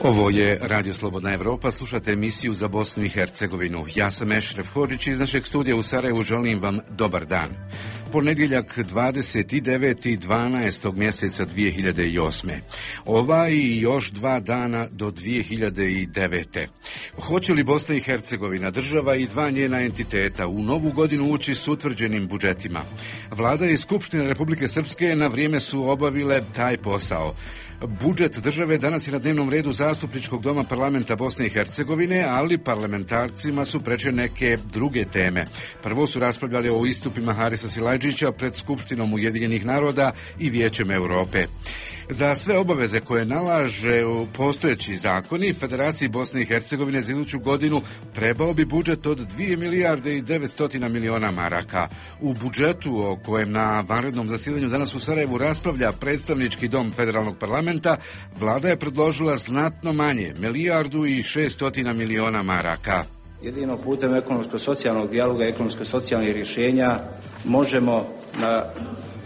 Ovo je Radio Slobodna Evropa, slušate emisiju za Bosnu i Hercegovinu. Ja sam Ešref Hodžić iz našeg studija u Sarajevu, želim vam dobar dan. Ponedjeljak 29.12. mjeseca 2008. Ova i još 2 dana do 2009. Hoće li Bosna i Hercegovina, država i 2 njena entiteta, u novu godinu ući s utvrđenim budžetima? Vlada i Skupština Republike Srpske na vrijeme su obavile taj posao. Budžet države danas je na dnevnom redu Zastupničkog doma parlamenta Bosne i Hercegovine, ali parlamentarcima su preče neke druge teme. Prvo su raspravljali o istupima Harisa Silajdžića pred Skupštinom Ujedinjenih naroda i Vijećem Europe. Za sve obaveze koje nalaže postojeći zakoni, Federaciji Bosne i Hercegovine za iduću godinu trebao bi budžet od 2 milijarde i 900 miliona maraka. U budžetu o kojem na vanrednom zasjedanju danas u Sarajevu raspravlja predstavnički dom federalnog parlamenta, vlada je predložila znatno manje, 1 milijardu i 600 miliona maraka. Jedino putem ekonomsko-socijalnog dijaloga i ekonomsko-socijalnih rješenja možemo na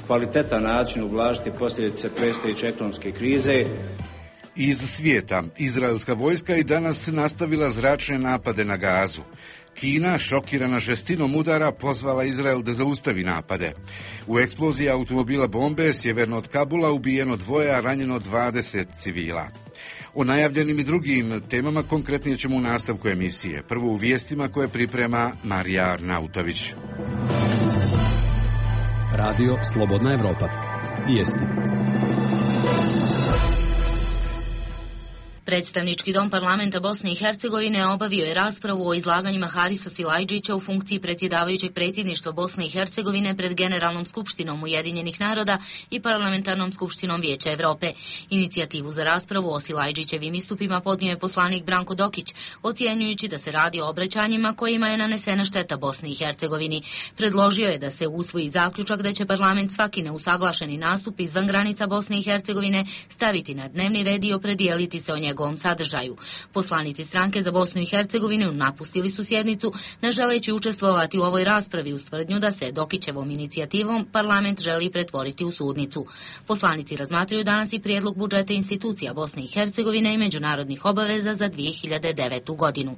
kvalitetan način ublažiti posljedice predstojeće ekonomske krize. Iz svijeta, izraelska vojska i danas nastavila zračne napade na Gazu. Kina, šokirana žestinom udara, pozvala Izrael da zaustavi napade. U eksploziji automobila bombe sjeverno od Kabula ubijeno 2, a ranjeno 20 civila. O najavljenim i drugim temama konkretnije ćemo u nastavku emisije. Prvo u vijestima koje priprema Marija Arnautović. Radio Slobodna Evropa. Vijesti. Predstavnički dom parlamenta Bosne i Hercegovine obavio je raspravu o izlaganjima Harisa Silajdžića u funkciji predsjedavajućeg predsjedništva Bosne i Hercegovine pred Generalnom skupštinom Ujedinjenih naroda i Parlamentarnom skupštinom Vijeća Europe. Inicijativu za raspravu o Silajdžićevim istupima podnio je poslanik Branko Dokić, ocjenjujući da se radi o obraćanjima kojima je nanesena šteta Bosni i Hercegovini. Predložio je da se usvoji zaključak da će parlament svaki neusaglašeni nastup izvan granica Bosne i Hercegovine staviti na dnevni red i opredijeliti se o njegovom sadržaju. Poslanici stranke za Bosnu i Hercegovinu napustili su sjednicu, ne želeći učestvovati u ovoj raspravi uz tvrdnju da se Dokićevom inicijativom parlament želi pretvoriti u sudnicu. Poslanici razmatraju danas i prijedlog budžeta institucija Bosne i Hercegovine i međunarodnih obaveza za 2009. godinu.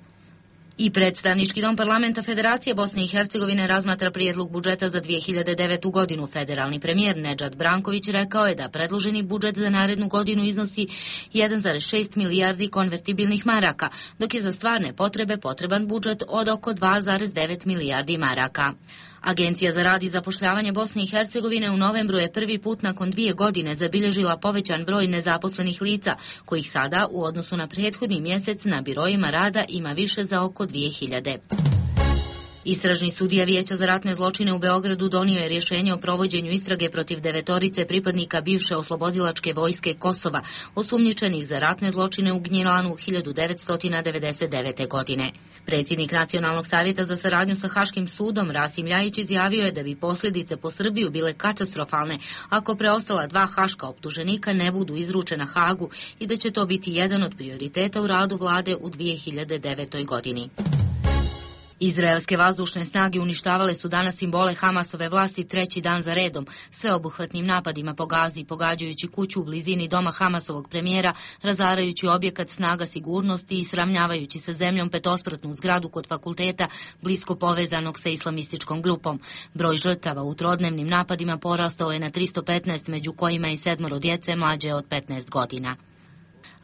I predstavnički dom parlamenta Federacije Bosne i Hercegovine razmatra prijedlog budžeta za 2009. godinu. Federalni premijer Nedžad Branković rekao je da predloženi budžet za narednu godinu iznosi 1,6 milijardi konvertibilnih maraka, dok je za stvarne potrebe potreban budžet od oko 2,9 milijardi maraka. Agencija za rad i zapošljavanje Bosne i Hercegovine u novembru je prvi put nakon 2 godine zabilježila povećan broj nezaposlenih lica, kojih sada u odnosu na prethodni mjesec na birojima rada ima više za oko 2000. Istražni sudija Vijeća za ratne zločine u Beogradu donio je rješenje o provođenju istrage protiv 9 pripadnika bivše oslobodilačke vojske Kosova, osumnjičenih za ratne zločine u Gnjilanu 1999. godine. Predsjednik Nacionalnog savjeta za saradnju sa Haškim sudom Rasim Ljajić izjavio je da bi posljedice po Srbiju bile katastrofalne ako preostala 2 haška optuženika ne budu izručena Hagu i da će to biti jedan od prioriteta u radu vlade u 2009. godini. Izraelske vazdušne snage uništavale su danas simbole Hamasove vlasti 3. dan za redom, sveobuhvatnim napadima po Gazi, pogađajući kuću u blizini doma Hamasovog premijera, razarajući objekat snaga sigurnosti i sravnjavajući sa zemljom 5-spratnu zgradu kod fakulteta blisko povezanog sa islamističkom grupom. Broj žrtava u trodnevnim napadima porastao je na 315, među kojima i 7 djece mlađe od 15 godina.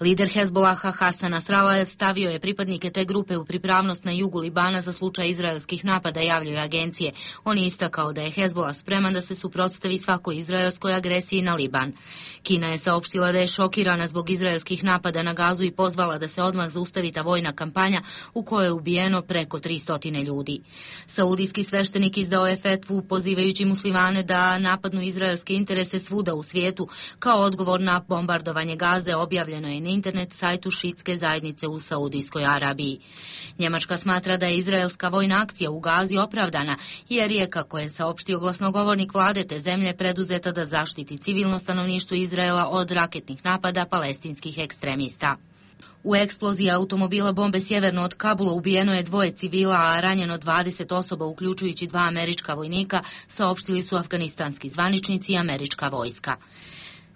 Lider Hezbolaha Hasan Nasrallah stavio je pripadnike te grupe u pripravnost na jugu Libana za slučaj izraelskih napada, javljaju agencije. On je istakao da je Hezbolah spreman da se suprotstavi svakoj izraelskoj agresiji na Liban. Kina je saopštila da je šokirana zbog izraelskih napada na Gazu i pozvala da se odmah zaustavi ta vojna kampanja u kojoj je ubijeno preko 300 ljudi. Saudijski sveštenik izdao je fetvu pozivajući muslimane da napadnu izraelske interese svuda u svijetu. Kao odgovor na bombardovanje Gaze objavljeno je na internet sajtu šiitske zajednice u Saudijskoj Arabiji. Njemačka smatra da je izraelska vojna akcija u Gazi opravdana, jer je, kako je saopštio glasnogovornik vlade te zemlje, preduzeta da zaštiti civilno stanovništvo Izraela od raketnih napada palestinskih ekstremista. U eksploziji automobila bombe sjeverno od Kabula ubijeno je 2 civila, a ranjeno 20 osoba, uključujući 2 američka vojnika, saopštili su afganistanski zvaničnici i američka vojska.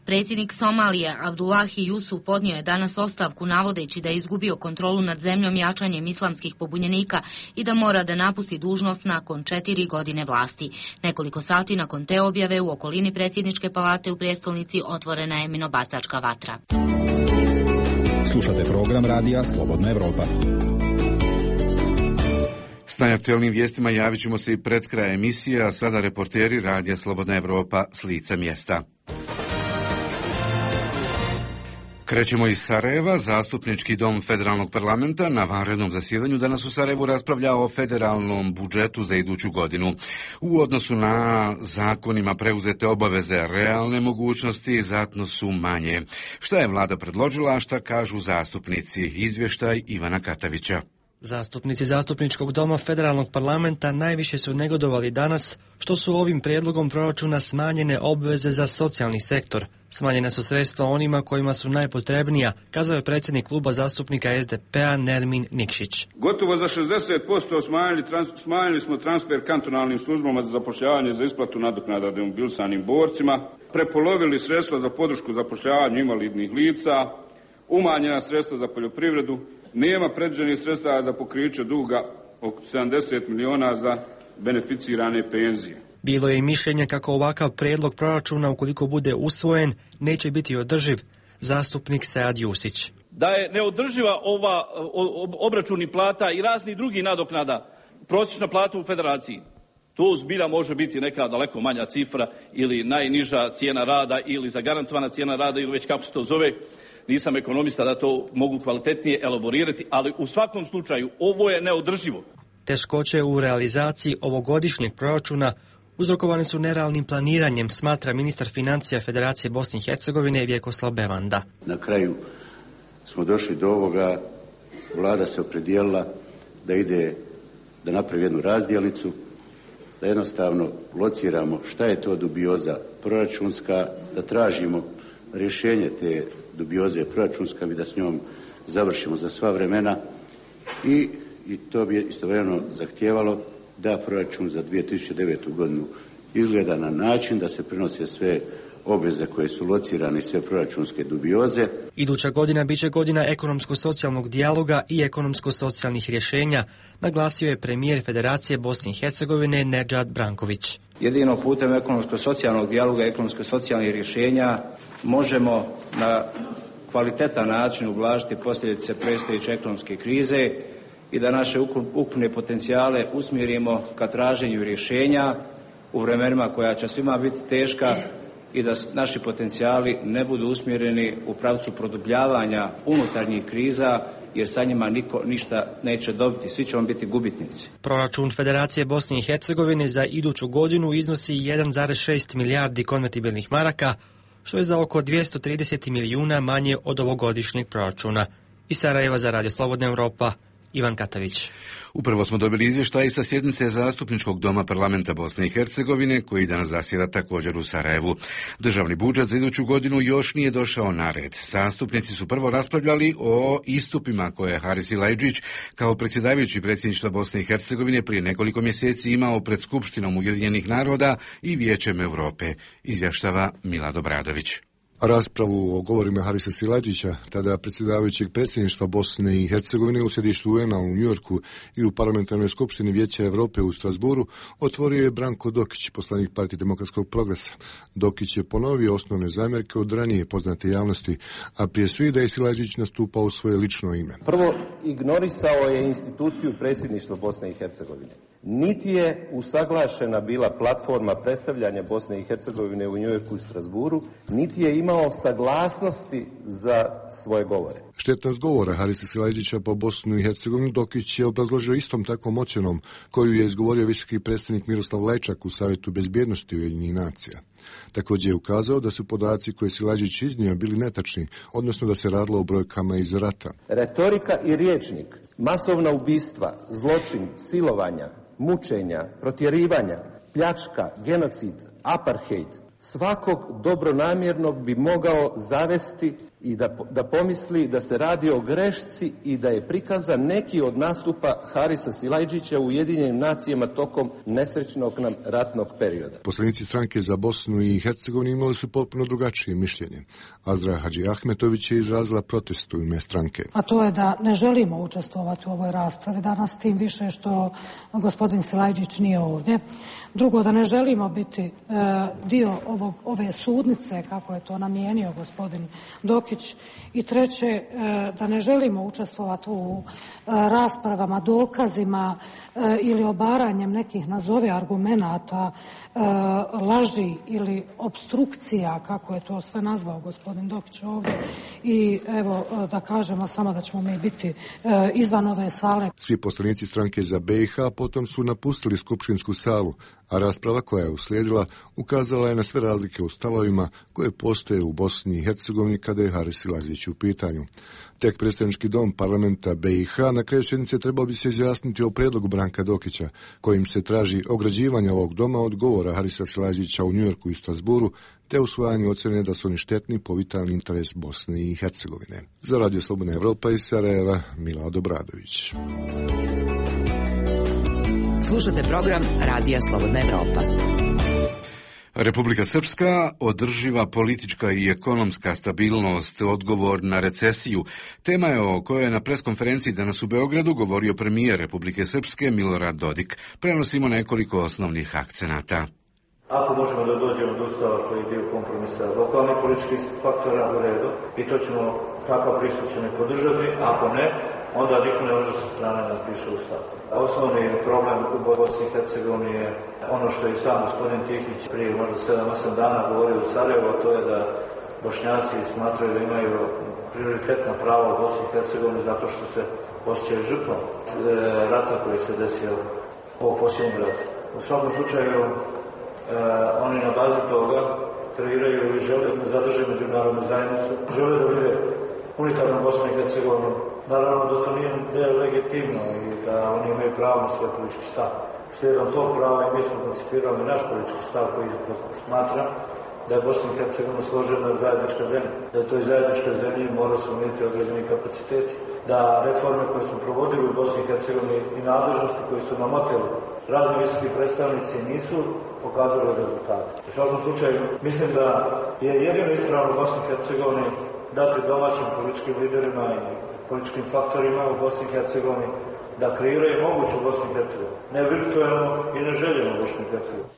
Predsjednik Somalije Abdullahi Jusuf podnio je danas ostavku navodeći da je izgubio kontrolu nad zemljom jačanjem islamskih pobunjenika i da mora da napusti dužnost nakon 4 godine vlasti. Nekoliko sati nakon te objave u okolini predsjedničke palate u prijestolnici otvorena je minobacačka vatra. Slušate program radija Slobodna Evropa. S najaktuelnim vijestima javit ćemo se i pred kraj emisije, a sada reporteri radija Slobodna Evropa s lica mjesta. Krećemo iz Sarajeva. Zastupnički dom Federalnog parlamenta na vanrednom zasjedanju danas u Sarajevu raspravlja o federalnom budžetu za iduću godinu. U odnosu na zakonima preuzete obaveze, realne mogućnosti znatno su manje. Šta je vlada predložila, a šta kažu zastupnici? Izvještaj Ivana Katavića. Zastupnici Zastupničkog doma Federalnog parlamenta najviše su negodovali danas što su ovim prijedlogom proračuna smanjene obveze za socijalni sektor. Smanjena su sredstva onima kojima su najpotrebnija, kazao je predsjednik kluba zastupnika SDP-a Nermin Nikšić. Gotovo za 60% smanjili smo transfer kantonalnim službama za zapošljavanje za isplatu nadoknada demobilisanim borcima, prepolovili sredstva za podršku zapošljavanju invalidnih lica, umanjena sredstva za poljoprivredu, nema predviđenih sredstava za pokriće duga oko 70 miliona za beneficirane penzije. Bilo je i mišljenje kako ovakav prijedlog proračuna, ukoliko bude usvojen, neće biti održiv. Zastupnik Sead Jusić. Da je neodrživa ova obračuni plata i razni drugi nadoknada, prosječna plata u federaciji. To zbilja može biti neka daleko manja cifra ili najniža cijena rada ili zagarantovana cijena rada ili već kako se to zove. Nisam ekonomista da to mogu kvalitetnije elaborirati, ali u svakom slučaju ovo je neodrživo. Teškoće u realizaciji ovogodišnjeg proračuna uzrokovane su nerealnim planiranjem, smatra ministar financija Federacije Bosne i Hercegovine Vjekoslav Bevanda. Na kraju smo došli do ovoga, vlada se opredijelila da napravi jednu razdjelnicu, da jednostavno lociramo šta je to dubioza proračunska, da tražimo rješenje te dubioze proračunska i da s njom završimo za sva vremena i to bi istovremeno zahtijevalo da proračun za 2009. godinu izgleda na način da se prenose sve obveze koje su locirane i sve proračunske dubioze. Iduća godina biće godina ekonomsko-socijalnog dijaloga i ekonomsko-socijalnih rješenja, naglasio je premijer Federacije Bosne i Hercegovine Nedžad Branković. Jedino putem ekonomsko-socijalnog dijaloga i ekonomsko-socijalnih rješenja možemo na kvalitetan način ublažiti posljedice predstojeće ekonomske krize i da naše ukupne potencijale usmjerimo ka traženju rješenja u vremenima koja će svima biti teška i da naši potencijali ne budu usmjereni u pravcu produbljavanja unutarnjih kriza, jer sa njima niko ništa neće dobiti, svi ćemo biti gubitnici. Proračun Federacije Bosne i Hercegovine za iduću godinu iznosi 1,6 milijardi konvertibilnih maraka, što je za oko 230 milijuna manje od ovogodišnjeg proračuna. Iz Sarajeva za Radio Slobodna Evropa, Ivan Katavić. Upravo smo dobili izvještaj sa sjednice Zastupničkog doma parlamenta Bosne i Hercegovine, koji danas zasjeda također u Sarajevu. Državni budžet za iduću godinu još nije došao na red. Zastupnici su prvo raspravljali o istupima koje je Haris Silajdžić kao predsjedavajući predsjedništva Bosne i Hercegovine prije nekoliko mjeseci imao pred Skupštinom Ujedinjenih naroda i Vijećem Europe, izvještava Milad Obradović. Raspravu o govorima Harisa Silajdžića, tada predsjedavajućeg predsjedništva Bosne i Hercegovine u sjedištu UN-a u Njujorku i u parlamentarnoj skupštini Vijeća Europe u Strasburu, otvorio je Branko Dokić, poslanik Partije demokratskog progresa. Dokić je ponovio osnovne zamjerke od ranije poznate javnosti, a prije svih da je Silajdžić nastupao u svoje lično ime. Prvo, ignorisao je instituciju predsjedništva Bosne i Hercegovine. Niti je usaglašena bila platforma predstavljanja Bosne i Hercegovine u Njujorku i Strasburu, niti je imao saglasnosti za svoje govore. Štetnost govora Harisa Silajdžića po Bosnu i Hercegovinu Dokić je obrazložio istom takvom ocjenom koju je izgovorio visoki predstavnik Miroslav Lajčak u Savjetu bezbjednosti Ujedinjenih nacija. Također je ukazao da su podaci koje Silajdžić iznio bili netačni, odnosno da se radilo o brojkama iz rata. Retorika i rječnik, masovna ubistva, zločin, silovanja, mučenja, protjerivanja, pljačka, genocid, apartheid, svakog dobronamjernog bi mogao zavesti i da pomisli da se radi o grešci i da je prikazan neki od nastupa Harisa Silajdžića u Ujedinjenim nacijama tokom nesrećnog nam ratnog perioda. Poslanici stranke za Bosnu i Hercegovinu imali su potpuno drugačije mišljenje. Azra Hadži Ahmetović je izrazila protest u ime stranke. A to je da ne želimo učestvovati u ovoj raspravi danas, tim više što gospodin Silajdžić nije ovdje. Drugo, da ne želimo biti dio ove sudnice, kako je to namijenio gospodin Dokić. I treće, da ne želimo učestvovati u raspravama, dokazima ili obaranjem nekih nazove argumenata, laži ili opstrukcija, kako je to sve nazvao gospodin Dokić ovdje. I evo, da kažemo samo da ćemo mi biti izvan ove sale. Svi poslanici stranke za BiH potom su napustili skupštinsku salu, a rasprava koja je uslijedila ukazala je na sve razlike u stavovima koje postoje u Bosni i Hercegovini kada je Haris Silajdžić u pitanju. Tek predstavnički dom parlamenta BiH na kraju sjednice trebao bi se izjasniti o prijedlogu Branka Dokića, kojim se traži ograđivanje ovog doma od govora Harisa Silajdžića u Njujorku i Strasburu, te usvajanje ocjene da su oni štetni po vitalni interes Bosne i Hercegovine. Za Radio Slobodna Evropa iz Sarajeva, Milad Obradović. Slušate program Radija Slobodna Evropa. Republika Srpska, održiva politička i ekonomska stabilnost, odgovor na recesiju. Tema je o kojoj je na preskonferenciji danas u Beogradu govorio premijer Republike Srpske Milorad Dodik. Prenosimo nekoliko osnovnih akcenata. Ako možemo da dođemo do ustava koji je dio kompromisa lokalnih političkih faktora, u redu, i to ćemo, takav pristup ćemo podržati, ako ne, onda niko ne može sa strane napiše ustav. Osnovni problem u Bosni i Hercegovini je ono što je sam gospodin Tihić prije možda 7-8 dana govorio u Sarajevu, a to je da Bošnjaci smatraju da imaju prioritetna prava u Bosni i Hercegovini zato što se osjećaju žrtvom rata koji se desio ovog posljednjeg rata. U svakom slučaju, oni na bazi toga kreiraju ili žele da zadrže međunarodnu zajednicu, žele da vide unitarnu Bosnu i Hercegovinu. Naravno da to nije legitimno i da oni imaju pravo na svoj politički stav. Slijedom tog prava i mi smo koncipirali naš politički stav koji smatra da je Bosna i Hercegovina složena zajednička zemlja. Da je toj zajedničkoj zemlji mora se unijeti određeni kapaciteti. Da reforme koje smo provodili u Bosni i Hercegovini i nadležnosti koje su nam oteli razni visoki predstavnici nisu pokazali rezultate. U svakom slučaju, mislim da je jedino ispravno u Bosni i Hercegovini dati domaćim političkim liderima i političkim faktorima u Bosni i Hercegovini da kreiraju moguću Bosnu i Hercegovini. Ne virtualno i ne željeno Bosnu i Hercegovini.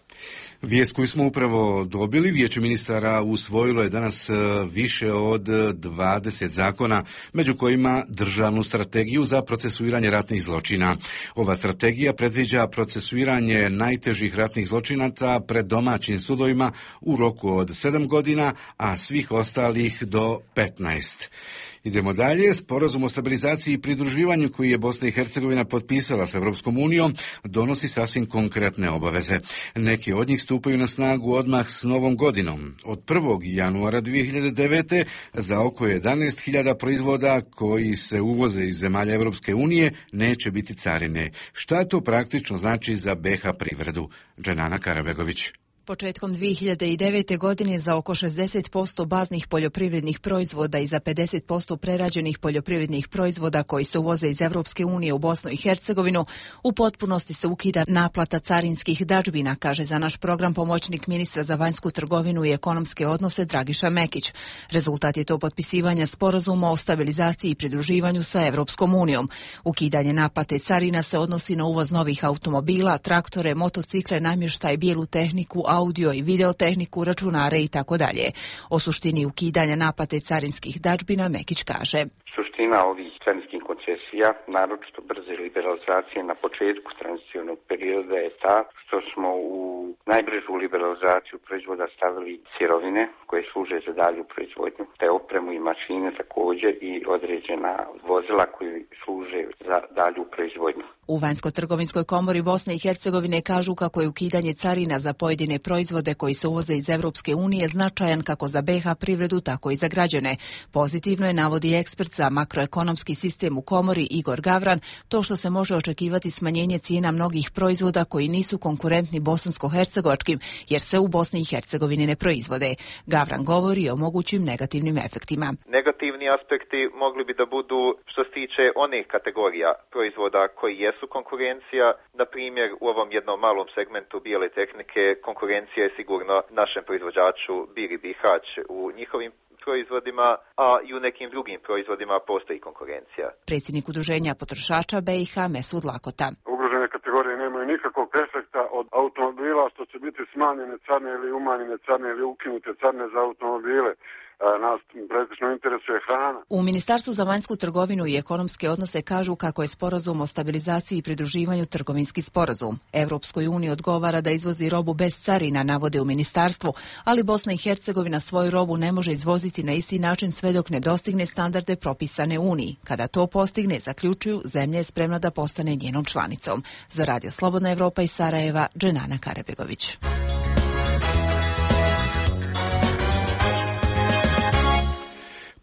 Vijest koju smo upravo dobili, Vijeće ministara usvojilo je danas više od 20 zakona, među kojima državnu strategiju za procesuiranje ratnih zločina. Ova strategija predviđa procesuiranje najtežih ratnih zločinaca pred domaćim sudovima u roku od 7 godina, a svih ostalih do 15. Idemo dalje. Sporazum o stabilizaciji i pridruživanju koji je Bosna i Hercegovina potpisala s Europskom unijom donosi sasvim konkretne obaveze. Neki od njih stupaju na snagu odmah s novom godinom. Od 1. januara 2009. za oko 11.000 proizvoda koji se uvoze iz zemalja Europske unije neće biti carine. Šta to praktično znači za BiH privredu? Dženana Karabegović. Početkom 2009. godine za oko 60% baznih poljoprivrednih proizvoda i za 50% prerađenih poljoprivrednih proizvoda koji se uvoze iz Evropske unije u Bosnu i Hercegovinu u potpunosti se ukida naplata carinskih dadžbina, kaže za naš program pomoćnik ministra za vanjsku trgovinu i ekonomske odnose Dragiša Mekić. Rezultat je to potpisivanja sporazuma o stabilizaciji i pridruživanju sa Evropskom unijom. Ukidanje naplate carina se odnosi na uvoz novih automobila, traktore, motocikle, namještaj, bijelu tehniku, audio i videotehniku, računare i tako dalje. O suštini ukidanja naplate carinskih dadžbina Mekić kaže: Suština ovih carinskih koncesija, naročito brze liberalizacije na početku tranzicionog perioda, je ta što smo u najbržu liberalizaciju proizvoda stavili sirovine koje služe za dalju proizvodnju, te opremu i mašine također i određena vozila koji služe za dalju proizvodnju. U Vanjsko-trgovinskoj komori Bosne i Hercegovine kažu kako je ukidanje carina za pojedine proizvode koji se uvoze iz Evropske unije značajan kako za BiH privredu, tako i za građane. Pozitivno je, navodi ekspert za makroekonomski sistem u komori Igor Gavran, to što se može očekivati smanjenje cijena mnogih proizvoda koji nisu konkurentni bosansko-hercegovinskim bosansko-hercegovačkim, jer se u Bosni i Hercegovini ne proizvode. Gavran govori o mogućim negativnim efektima. Negativni aspekti mogli bi da budu što se tiče onih kategorija proizvoda koji jesu konkurencija. Na primjer, u ovom jednom malom segmentu bijele tehnike konkurencija je sigurno našem proizvođaču Biri Bihać u njihovim proizvodima, a i u nekim drugim proizvodima postoji konkurencija. Predsjednik udruženja potrošača BiH Mesud Lakota. Ugrožene kategorije nemaju nikakvog efekta od automobila, što će biti smanjene carine ili umanjene carine ili ukinute carine za automobile. Nas praktično interesuje hrana. U Ministarstvu za vanjsku trgovinu i ekonomske odnose kažu kako je sporazum o stabilizaciji i pridruživanju trgovinski sporazum. Evropskoj uniji odgovara da izvozi robu bez carina, navode u ministarstvu, ali Bosna i Hercegovina svoju robu ne može izvoziti na isti način sve dok ne dostigne standarde propisane Uniji. Kada to postigne, zaključuju, zemlja je spremna da postane njenom članicom. Za Radio Slobodna Evropa iz Sarajeva, Dženana Karabegović.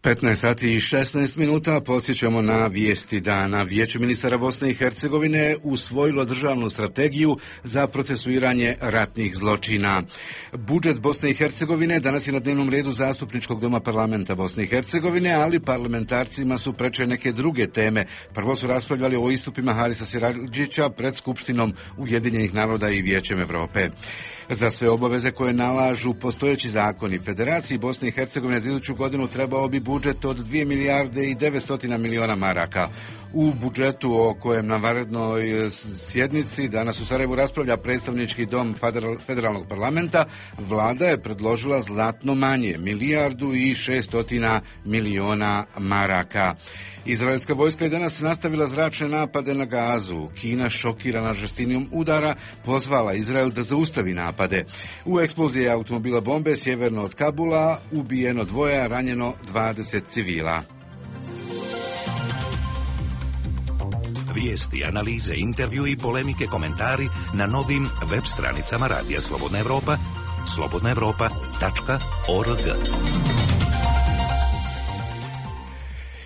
15 sati i 16 minuta podsjećamo na vijesti dana. Vijeće ministara Bosne i Hercegovine usvojilo državnu strategiju za procesuiranje ratnih zločina. Budžet Bosne i Hercegovine danas je na dnevnom redu Zastupničkog doma parlamenta Bosne i Hercegovine, ali parlamentarcima su preče neke druge teme. Prvo su raspravljali o istupima Harisa Silajdžića pred Skupštinom Ujedinjenih naroda i Vijećem Evrope. Za sve obaveze koje nalažu postojeći zakoni Federaciji Bosne i Hercegovine za iduću godinu trebao bi budžet od 2 milijarde i 900 miliona maraka. U budžetu o kojem na vanrednoj sjednici danas u Sarajevu raspravlja predstavnički dom federalnog parlamenta, vlada je predložila znatno manje, 1 milijardu i 600 miliona maraka. Izraelska vojska je danas nastavila zračne napade na Gazu. Kina, šokirana žestinom udara, pozvala Izrael da zaustavi napade. U eksploziji automobila bombe sjeverno od Kabula ubijeno 2, ranjeno 20 civila. Vijesti, analize, intervju i polemike, komentari na novim web stranicama Radija Slobodna Evropa, slobodnaevropa.org.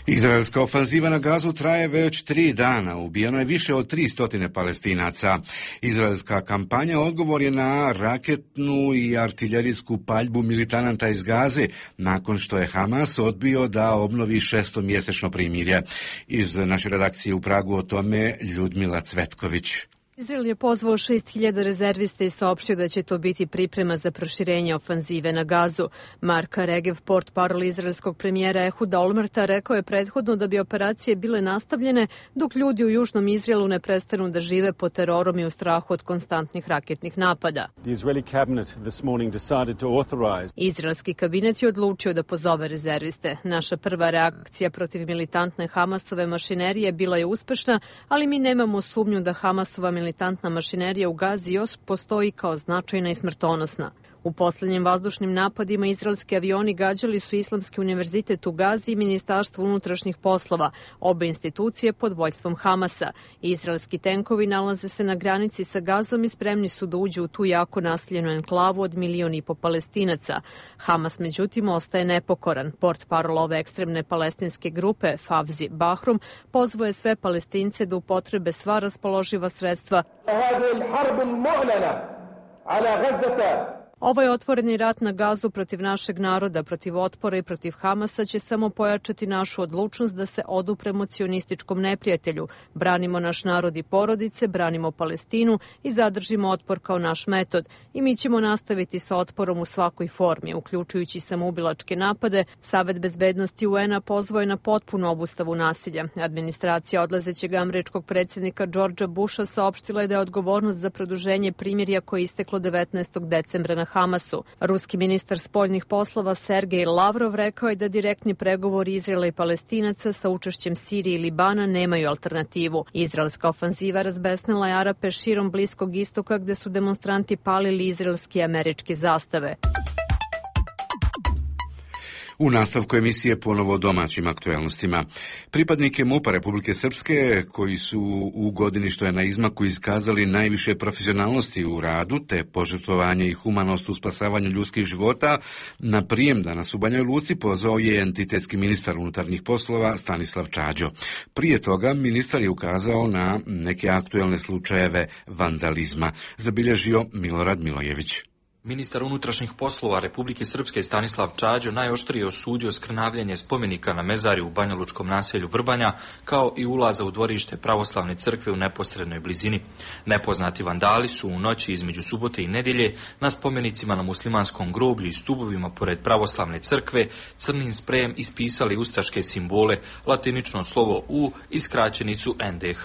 Izraelska ofanziva na Gazu traje već 3 dana. Ubijeno je više od 300 Palestinaca. Izraelska kampanja odgovor je na raketnu i artiljerijsku paljbu militanata iz Gaze, nakon što je Hamas odbio da obnovi 6-mjesečno primirje. Iz naše redakcije u Pragu o tome Ljudmila Cvetković. Izrael je pozvao 6.000 rezervista i saopštio da će to biti priprema za proširenje ofanzive na Gazu. Marka Regev, portparol izraelskog premijera Ehuda Olmerta, rekao je prethodno da bi operacije bile nastavljene dok ljudi u južnom Izraelu ne prestanu da žive pod terorom i u strahu od konstantnih raketnih napada. Izraelski kabinet je odlučio da pozove rezerviste. Naša prva reakcija protiv militantne Hamasove mašinerije bila je uspešna, ali mi nemamo sumnju da Hamasova militantna mašinerija u Gazi još postoji kao značajna i smrtonosna. U posljednjim vazdušnim napadima izraelski avioni gađali su Islamski univerzitet u Gazi i Ministarstvo unutrašnjih poslova, obe institucije pod vođstvom Hamasa. Izraelski tenkovi nalaze se na granici sa Gazom i spremni su da uđu u tu jako naseljenu enklavu od 1,5 miliona Palestinaca. Hamas, međutim, ostaje nepokoran. Portparol ove ekstremne palestinske grupe, Favzi Bahrum, pozvao je sve Palestince da upotrebe sva raspoloživa sredstva. Ovaj otvoreni rat na Gazu protiv našeg naroda, protiv otpora i protiv Hamasa će samo pojačati našu odlučnost da se odupremo cionističkom neprijatelju. Branimo naš narod i porodice, branimo Palestinu i zadržimo otpor kao naš metod. I mi ćemo nastaviti sa otporom u svakoj formi, uključujući samoubilačke napade. Savet bezbednosti UN-a pozvao je na potpunu obustavu nasilja. Administracija odlazećeg američkog predsjednika Georgea Busha saopštila je da je odgovornost za produženje primirja koje je isteklo 19. decembra na Hamasu. Ruski ministar spoljnih poslova Sergej Lavrov rekao je da direktni pregovori Izraela i Palestinaca sa učešćem Sirije i Libana nemaju alternativu. Izraelska ofanziva razbesnila je Arape širom Bliskog istoka gde su demonstranti palili izraelske i američke zastave. U nastavku emisije ponovo o domaćim aktuelnostima. Pripadnike MUP-a Republike Srpske, koji su u godini što je na izmaku iskazali najviše profesionalnosti u radu, te požrtvovanje i humanost u spasavanju ljudskih života, na prijem danas u Banjoj Luci pozvao je entitetski ministar unutarnjih poslova Stanislav Čađo. Prije toga ministar je ukazao na neke aktuelne slučajeve vandalizma, zabilježio Milorad Milojević. Ministar unutrašnjih poslova Republike Srpske Stanislav Čađo najoštrije osudio skrnavljanje spomenika na mezarju u banjalučkom naselju Vrbanja, kao i ulaza u dvorište pravoslavne crkve u neposrednoj blizini. Nepoznati vandali su u noći između subote i nedjelje na spomenicima na muslimanskom groblju i stubovima pored pravoslavne crkve crnim sprejem ispisali ustaške simbole, latinično slovo U i skraćenicu NDH.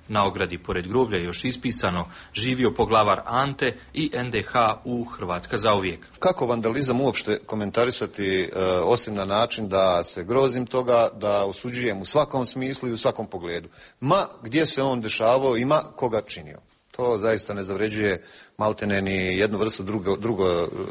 Na ogradi pored groblja je još ispisano živio poglavar Ante i NDH u Hrvatska zauvijek. Kako vandalizam uopšte komentarisati osim na način da se grozim toga, da osuđujem u svakom smislu i u svakom pogledu. Ma gdje se on dešavao i ma koga činio. To zaista ne zavređuje maltene ni jednu vrstu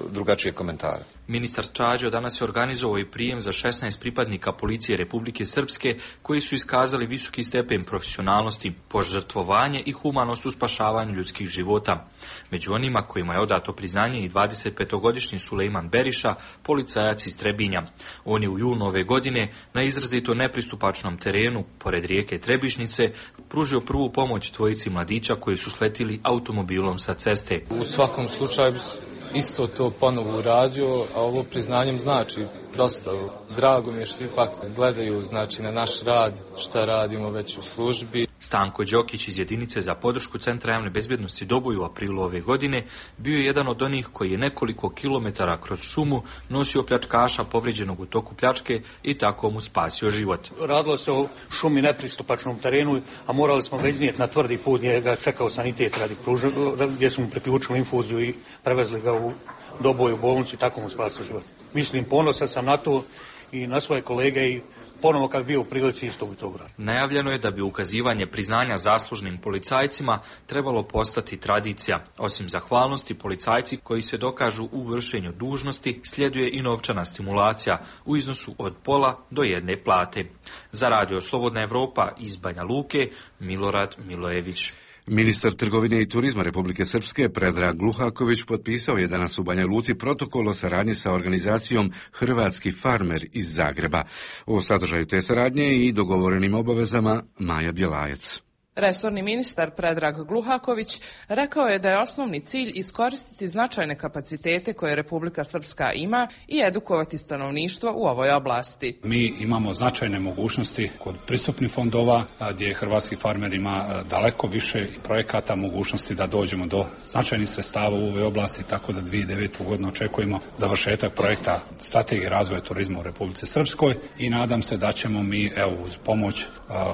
drugačije komentara. Ministar Čađo danas je organizovao i prijem za 16 pripadnika policije Republike Srpske koji su iskazali visoki stepen profesionalnosti, požrtvovanje i humanost u spašavanju ljudskih života. Među onima kojima je odato priznanje i 25-godišnji Sulejman Beriša, policajac iz Trebinja. On je u junu ove godine na izrazito nepristupačnom terenu, pored rijeke Trebišnice, pružio prvu pomoć dvojici mladića koji su sletili automobilom sa ceste. U svakom slučaju isto to ponovo uradio, a ovo priznanjem znači dosta. Drago mi je što ipak gledaju na naš rad, šta radimo već u službi. Stanko Đokić iz jedinice za podršku Centra javne bezbjednosti Doboj u aprilu ove godine bio je jedan od onih koji je nekoliko kilometara kroz šumu nosio pljačkaša povrijeđenog u toku pljačke i tako mu spasio život. Radilo se o šumi nepristupačnom terenu, a morali smo ga iznijeti na tvrdi put gdje ga čekao sanitet gdje smo mu priključili infuziju i prevezli ga u Doboj u bolnicu i tako mu spasio život. Mislim, ponosan sam na to i na svoje kolege i ponovo kad bio u prilici isto bi to uradio. Najavljeno je da bi ukazivanje priznanja zaslužnim policajcima trebalo postati tradicija. Osim zahvalnosti, policajci koji se dokažu u vršenju dužnosti sljeduje i novčana stimulacija u iznosu od pola do 1 plate. Za Radio Slobodna Evropa iz Banja Luke, Milorad Milojević. Ministar trgovine i turizma Republike Srpske Predrag Gluhaković potpisao je danas u Banja Luci protokol o saradnji sa organizacijom Hrvatski farmer iz Zagreba. O sadržaju te saradnje i dogovorenim obavezama Maja Bjelajac. Resorni ministar Predrag Gluhaković rekao je da je osnovni cilj iskoristiti značajne kapacitete koje Republika Srpska ima i edukovati stanovništvo u ovoj oblasti. Mi imamo značajne mogućnosti kod pristupnih fondova gdje hrvatski farmer ima daleko više projekata, mogućnosti da dođemo do značajnih sredstava u ovoj oblasti, tako da 2009. godinu očekujemo završetak projekta strategije razvoja turizma u Republici Srpskoj i nadam se da ćemo mi uz pomoć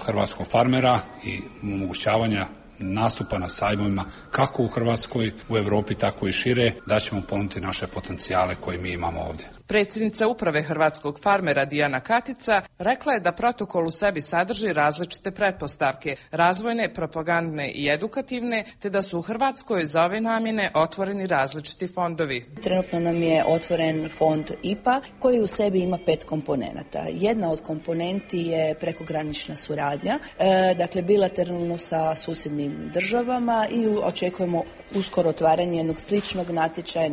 hrvatskog farmera i omogućavanja nastupa na sajmovima kako u Hrvatskoj, u Europi, tako i šire, da ćemo ponuditi naše potencijale koje mi imamo ovdje. Predsjednica uprave Hrvatskog farmera Dijana Katica rekla je da protokol u sebi sadrži različite pretpostavke, razvojne, propagandne i edukativne, te da su u Hrvatskoj za ove namjene otvoreni različiti fondovi. Trenutno nam je otvoren fond IPA koji u sebi ima 5 komponenata. Jedna od komponenti je prekogranična suradnja, dakle bilateralno sa susjednim državama i očekujemo uskoro otvaranje jednog sličnog natječaja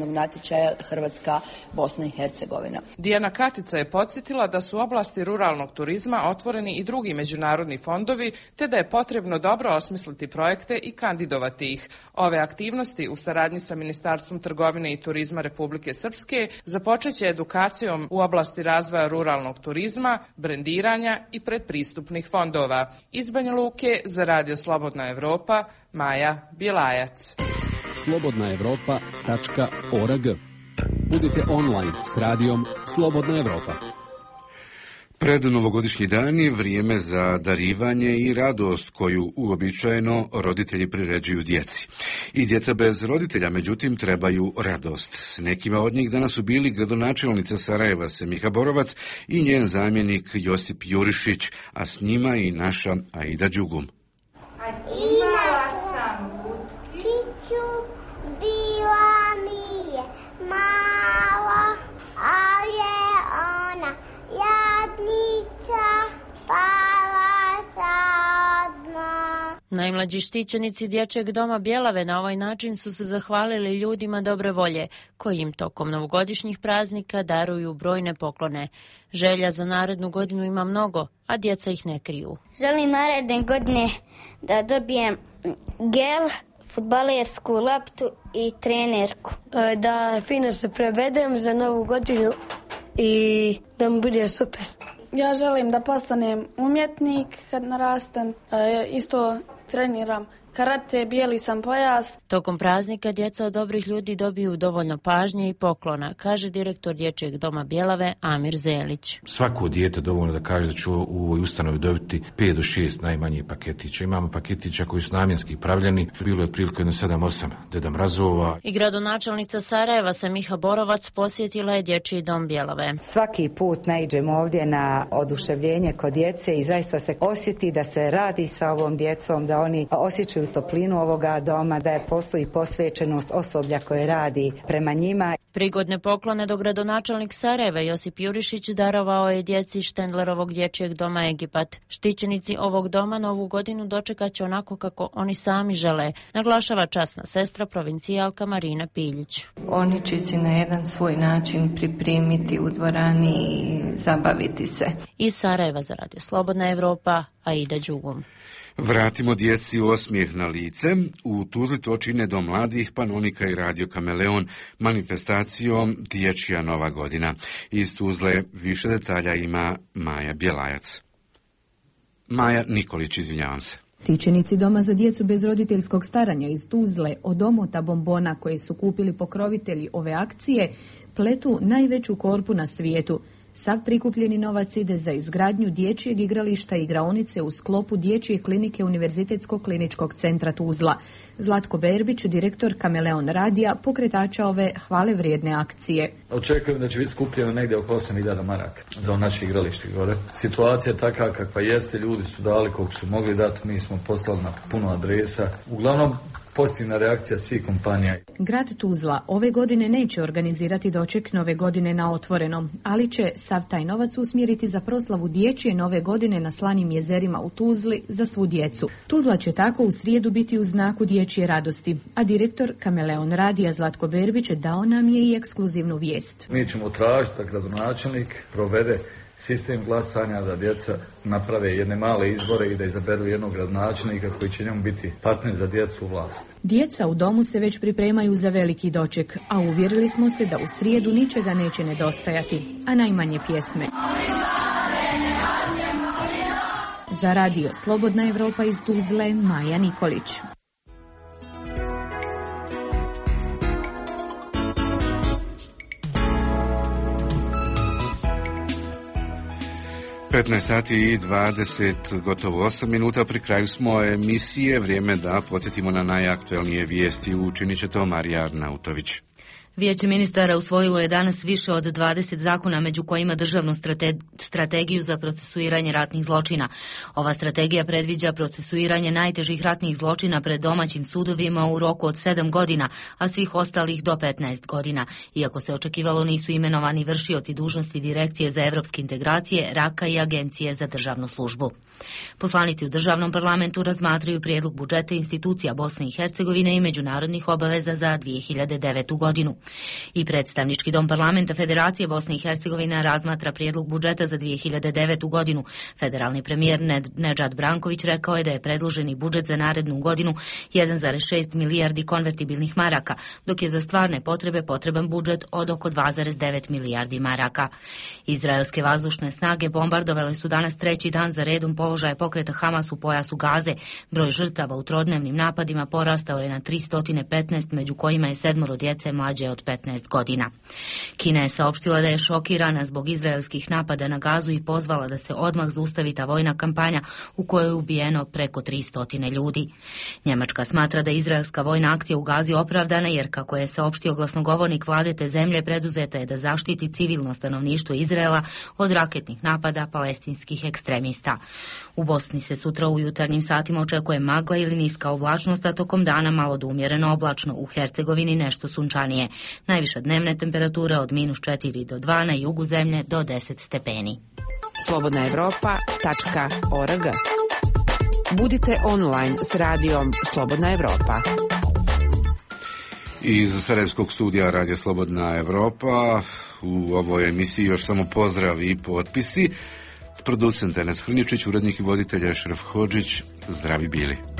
Hrvatska, Bosna i Hercegovina. Dijana Katica je podsjetila da su u oblasti ruralnog turizma otvoreni i drugi međunarodni fondovi, te da je potrebno dobro osmisliti projekte i kandidovati ih. Ove aktivnosti u saradnji sa Ministarstvom trgovine i turizma Republike Srpske započeće edukacijom u oblasti razvoja ruralnog turizma, brendiranja i predpristupnih fondova. Iz Banja Luke za Radio Slobodna Evropa, Maja Bjelajac. slobodnaevropa.org. Budite online s radijom Slobodna Evropa. Pred novogodišnji dani vrijeme za darivanje i radost koju uobičajeno roditelji priređuju djeci. I djeca bez roditelja, međutim, trebaju radost. S nekima od njih danas su bili gradonačelnica Sarajeva Semiha Borovac i njen zamjenik Josip Jurišić, a s njima i naša Aida Đugum. Imala sam butiću, bila mi je mala, ali je ona Najmlađi štićenici Dječjeg doma Bjelave na ovaj način su se zahvalili ljudima dobre volje, koji im tokom novogodišnjih praznika daruju brojne poklone. Želja za narednu godinu ima mnogo, a djeca ih ne kriju. Želim naredne godine da dobijem gel, fudbalersku loptu i trenerku. Da fino se prevedem za novu godinu i da mi bude super. Ja želim da postanem umjetnik kad narastem, isto treniram karate, bijeli sam pojas. Tokom praznika djeca od dobrih ljudi dobiju dovoljno pažnje i poklona, kaže direktor Dječjeg doma Bjelave Amir Zelić. Svako dijete dovoljno da kaže da ću u ovoj ustanovi dobiti 5 do 6 najmanjih paketića. Imamo paketića koji su namjenski pravljeni, bilo je otprilike 7-8 Deda Mrazova. I gradonačelnica Sarajeva Samiha Borovac posjetila je Dječji dom Bjelave. Svaki put naiđemo ovdje na oduševljenje kod djece i zaista se osjeti da se radi sa ovom djecom, da oni osjećaju toplinu ovoga doma, da je postoji posvećenost osoblja koje radi prema njima. Prigodne poklone do gradonačelnik Sarajeva Josip Jurišić darovao je djeci Štendlerovog Dječjeg doma Egipat. Štićenici ovog doma novu godinu dočekat će onako kako oni sami žele, naglašava časna sestra provincijalka Marina Piljić. Oni će se na jedan svoj način pripremiti u dvorani i zabaviti se. Iz Sarajeva za Radio Slobodna Evropa, Aida Đugum. Vratimo djeci osmijeh na lice. U Tuzli to čine Dom mladih, Panonika i Radio Kameleon manifestacijom Dječja nova godina. Iz Tuzle više detalja ima Maja Bjelajac. Maja Nikolić, izvinjavam se. Štićenici Doma za djecu bez roditeljskog staranja iz Tuzle od omota bombona koje su kupili pokrovitelji ove akcije pletu najveću korpu na svijetu. Sav prikupljeni novac ide za izgradnju dječjeg igrališta i igraonice u sklopu Dječje klinike Univerzitetskog kliničkog centra Tuzla. Zlatko Berbić, direktor Kameleon radija, pokretača ove hvale vrijedne akcije. Očekujem da će biti skupljeno negdje oko 8.000 maraka za naše igralište gore. Situacija je takva kakva jeste, ljudi su dali koliko su mogli dati, mi smo poslali na puno adresa. Uglavnom, pozitivna reakcija svih kompanija. Grad Tuzla ove godine neće organizirati doček nove godine na otvorenom, ali će sav taj novac usmjeriti za proslavu Dječje nove godine na Slanim jezerima u Tuzli za svu djecu. Tuzla će tako u srijedu biti u znaku dječje radosti, a direktor Kameleon radija Zlatko Berbić dao nam je i ekskluzivnu vijest. Mi ćemo tražiti da gradonačelnik provede sistem glasanja, da djeca naprave jedne male izbore i da izaberu jednog gradonačelnika koji će njemu biti partner za djecu u vlasti. Djeca u domu se već pripremaju za veliki doček, a uvjerili smo se da u srijedu ničega neće nedostajati, a najmanje pjesme. Za Radio Slobodna Evropa iz Tuzle, Maja Nikolić. sati i 20, gotovo 8 minuta, pri kraju smo emisije, vrijeme da podsjetimo na najaktuelnije vijesti. Učinit će to Marija Arnautović. Vijeće ministara usvojilo je danas više od 20 zakona, među kojima državnu strategiju za procesuiranje ratnih zločina. Ova strategija predviđa procesuiranje najtežih ratnih zločina pred domaćim sudovima u roku od 7 godina, a svih ostalih do 15 godina. Iako se očekivalo, nisu imenovani vršioci dužnosti Direkcije za evropske integracije, RAKA i Agencije za državnu službu. Poslanici u državnom parlamentu razmatraju prijedlog budžeta institucija Bosne i Hercegovine i međunarodnih obaveza za 2009. godinu. I predstavnički dom parlamenta Federacije Bosne i Hercegovine razmatra prijedlog budžeta za 2009. godinu. Federalni premijer Nedžad Branković rekao je da je predloženi budžet za narednu godinu 1,6 milijardi konvertibilnih maraka, dok je za stvarne potrebe potreban budžet od oko 2,9 milijardi maraka. Izraelske vazdušne snage bombardovale su danas treći dan za redom položaje pokreta Hamas u pojasu Gaze. Broj žrtava u trodnevnim napadima porastao je na 315, među kojima je 7 djece mlađe od 15 godina. Kina je saopštila da je šokirana zbog izraelskih napada na Gazu i pozvala da se odmah zaustavi ta vojna kampanja u kojoj je ubijeno preko 300 ljudi. Njemačka smatra da je izraelska vojna akcija u Gazi opravdana jer, kako je saopštio glasnogovornik vlade te zemlje, preduzeta je da zaštiti civilno stanovništvo Izraela od raketnih napada palestinskih ekstremista. U Bosni se sutra u jutarnjim satima očekuje magla ili niska oblačnost, a tokom dana malo do umjereno oblačno, u Hercegovini nešto sunčanije. Najviša dnevne temperature od -4 do 2, na jugu zemlje do 10 stepeni. Slobodna Evropa.org Budite online s radijom Slobodna Evropa. Iz Sarajevskog studija Radija Slobodna Evropa u ovoj emisiji još samo pozdravi i potpisi. Producent Enes Hrnjičić, urednik i voditelj Ešref Hodžić, zdravi bili.